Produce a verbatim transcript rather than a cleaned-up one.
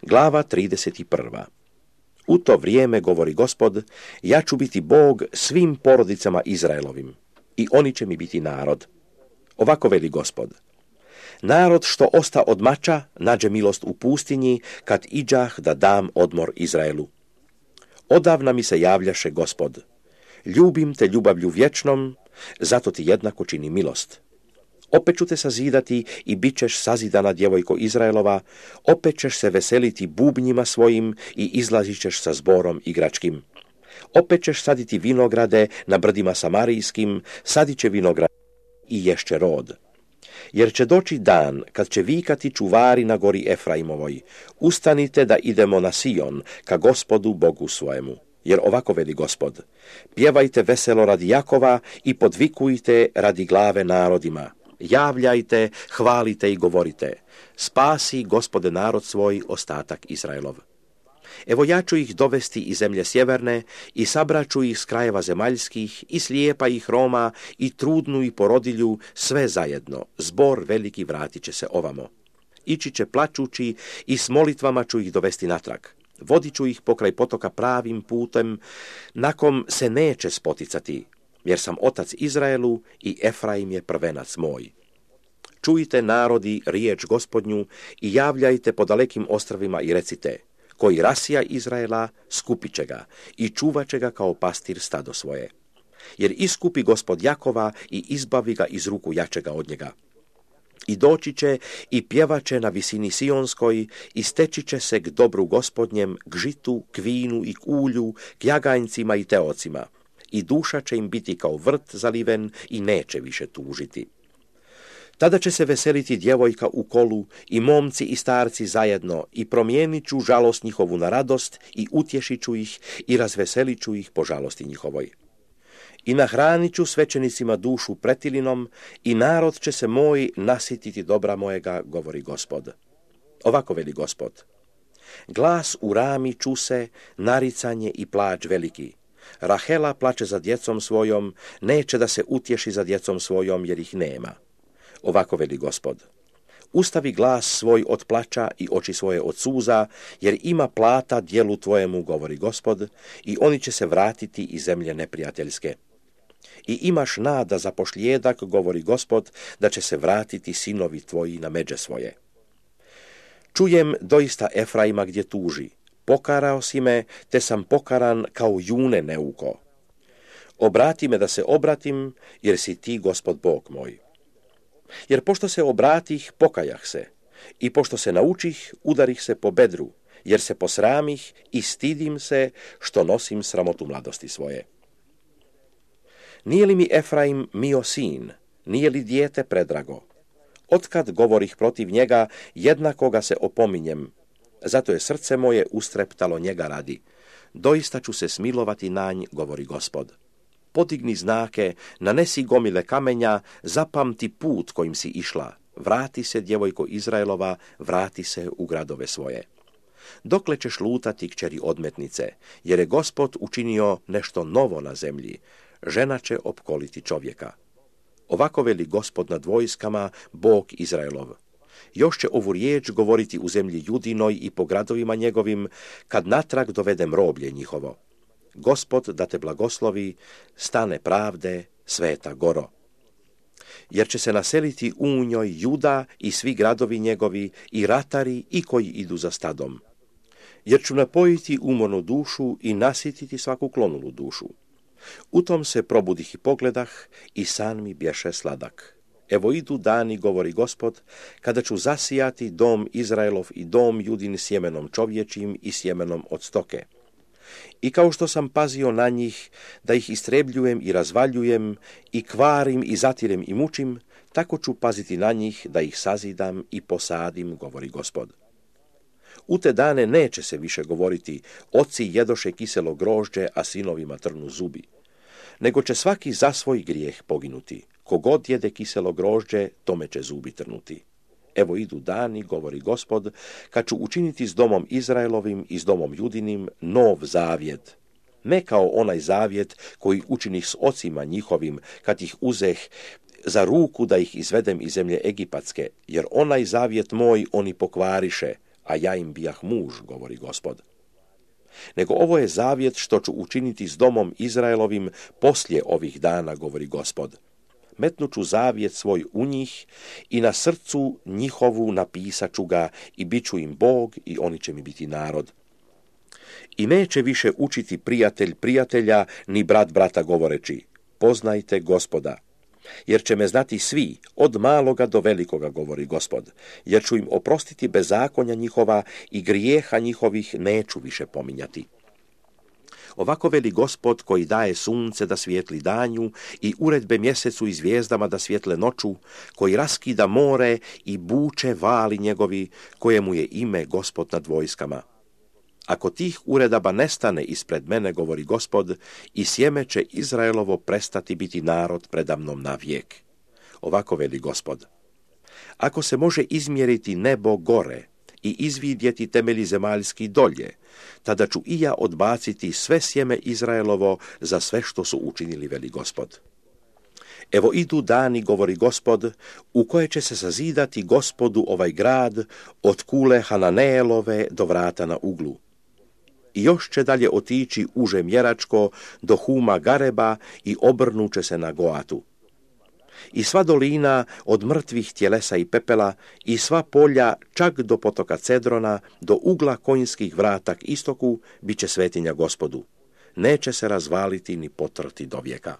Glava trideset prva. U to vrijeme, govori Gospod, ja ću biti Bog svim porodicama Izraelovim i oni će mi biti narod. Ovako veli Gospod. Narod što osta od mača nađe milost u pustinji kad iđah da dam odmor Izraelu. Odavna mi se javljaše Gospod. Ljubim te ljubavlju vječnom, zato ti jednako čini milost. Opet ću te sazidati i bit ćeš sazidana djevojko Izraelova, opet ćeš se veseliti bubnjima svojim i izlazit ćeš sa zborom igračkim. Opet ćeš saditi vinograde na brdima samarijskim, sadit će vinograde i ješće rod. Jer će doći dan kad će vikati čuvari na gori Efraimovoj, ustanite da idemo na Sion, ka Gospodu Bogu svojemu. Jer ovako veli Gospod, pjevajte veselo radi Jakova i podvikujte radi glave narodima. Javljajte, hvalite i govorite, spasi Gospode narod svoj, ostatak Izraelov. Evo ja ću ih dovesti iz zemlje sjeverne i sabraću ih s krajeva zemaljskih i slijepa i hroma i trudnu i porodilju, sve zajedno, zbor veliki vratit će se ovamo. Ići će plačući i s molitvama ću ih dovesti natrag. Vodit ću ih pokraj potoka pravim putem, nakom se neće spoticati, jer sam otac Izraelu i Efraim je prvenac moj. Čujte narodi riječ Gospodnju i javljajte po dalekim ostravima i recite, koji rasija Izraela skupit će ga i čuvat će ga kao pastir stado svoje. Jer iskupi Gospod Jakova i izbavi ga iz ruku jačega od njega. I doći će i pjevat će na visini Sionskoj i steći će se k dobru Gospodnjem, k žitu, k vinu i k ulju, k jaganjcima i teocima. I duša će im biti kao vrt zaliven i neće više tužiti. Tada će se veseliti djevojka u kolu i momci i starci zajedno i promijenit ću žalost njihovu na radost i utješit ću ih i razveselit ću ih po žalosti njihovoj. I nahranit ću svećenicima dušu pretilinom i narod će se moj nasititi dobra mojega, govori Gospod. Ovako veli Gospod. Glas u rami ču se, naricanje i plač veliki. Rahela plače za djecom svojom, neće da se utješi za djecom svojom jer ih nema. Ovako veli Gospod. Ustavi glas svoj od plača i oči svoje od suza, jer ima plata djelu tvojemu, govori Gospod, i oni će se vratiti iz zemlje neprijateljske. I imaš nada za pošlijedak, govori Gospod, da će se vratiti sinovi tvoji na međe svoje. Čujem doista Efraima gdje tuži. Pokarao si me, te sam pokaran kao june neuko. Obrati me da se obratim, jer si ti Gospod Bog moj. Jer pošto se obratih, pokajah se, i pošto se naučih, udarih se po bedru, jer se posramih i stidim se, što nosim sramotu mladosti svoje. Nije li mi Efraim mio sin, nije li dijete predrago? Otkad govorih protiv njega, jednako ga se opominjem, zato je srce moje ustreptalo njega radi. Doista ću se smilovati na nj, govori Gospod. Podigni znake, nanesi gomile kamenja, zapamti put kojim si išla. Vrati se, djevojko Izraelova, vrati se u gradove svoje. Dokle ćeš lutati, kćeri odmetnice, jer je Gospod učinio nešto novo na zemlji. Žena će opkoliti čovjeka. Ovako veli Gospod nad vojskama, Bog Izraelov. Još će ovu riječ govoriti u zemlji Judinoj i po gradovima njegovim, kad natrag dovedem roblje njihovo. Gospod da te blagoslovi, stane pravde, sveta goro. Jer će se naseliti u njoj Juda i svi gradovi njegovi, i ratari, i koji idu za stadom. Jer ću napojiti umornu dušu i nasititi svaku klonulu dušu. U tom se probudih i pogledah, i san mi bješe sladak. Evo idu dani, govori Gospod, kada ću zasijati dom Izraelov i dom Judin sjemenom čovječim i sjemenom od stoke. I kao što sam pazio na njih, da ih istrebljujem i razvaljujem, i kvarim i zatirem i mučim, tako ću paziti na njih, da ih sazidam i posadim, govori Gospod. U te dane neće se više govoriti, oci jedoše kiselo grožđe, a sinovima trnu zubi. Nego će svaki za svoj grijeh poginuti. Kogod jede kiselo grožđe, tome će zubi trnuti. Evo idu dani, govori Gospod, kad ću učiniti s domom Izraelovim i s domom Judinim nov zavjet. Ne kao onaj zavjet koji učinih s ocima njihovim, kad ih uzeh za ruku da ih izvedem iz zemlje Egipatske, jer onaj zavjet moj oni pokvariše, a ja im bijah muž, govori Gospod. Nego ovo je zavjet što ću učiniti s domom Izraelovim poslije ovih dana, govori Gospod. Metnut ću zavjet svoj u njih i na srcu njihovu napisat ću ga i bit ću im Bog i oni će mi biti narod. I neće više učiti prijatelj prijatelja, ni brat brata govoreći, poznajte Gospoda. Jer će me znati svi, od maloga do velikoga, govori Gospod, jer ću im oprostiti bezakonja njihova i grijeha njihovih neću više pominjati. Ovako veli Gospod koji daje sunce da svijetli danju i uredbe mjesecu i zvijezdama da svjetle noću, koji raskida more i buče vali njegovi, kojemu je ime Gospod nad vojskama. Ako tih uredaba nestane ispred mene, govori Gospod, i sjeme će Izraelovo prestati biti narod predamnom na vijek. Ovako veli Gospod. Ako se može izmjeriti nebo gore i izvidjeti temelji zemaljski dolje, tada ću i ja odbaciti sve sjeme Izraelovo za sve što su učinili, veli Gospod. Evo idu dani, govori Gospod, u koje će se sazidati Gospodu ovaj grad od kule Hananeelove do vrata na uglu. I još će dalje otići uže mjeračko do Huma Gareba i obrnuće se na Goatu. I sva dolina od mrtvih tjelesa i pepela i sva polja čak do potoka Cedrona, do ugla konjskih vrata k istoku, bit će svetinja Gospodu. Neće se razvaliti ni potrti do vijeka.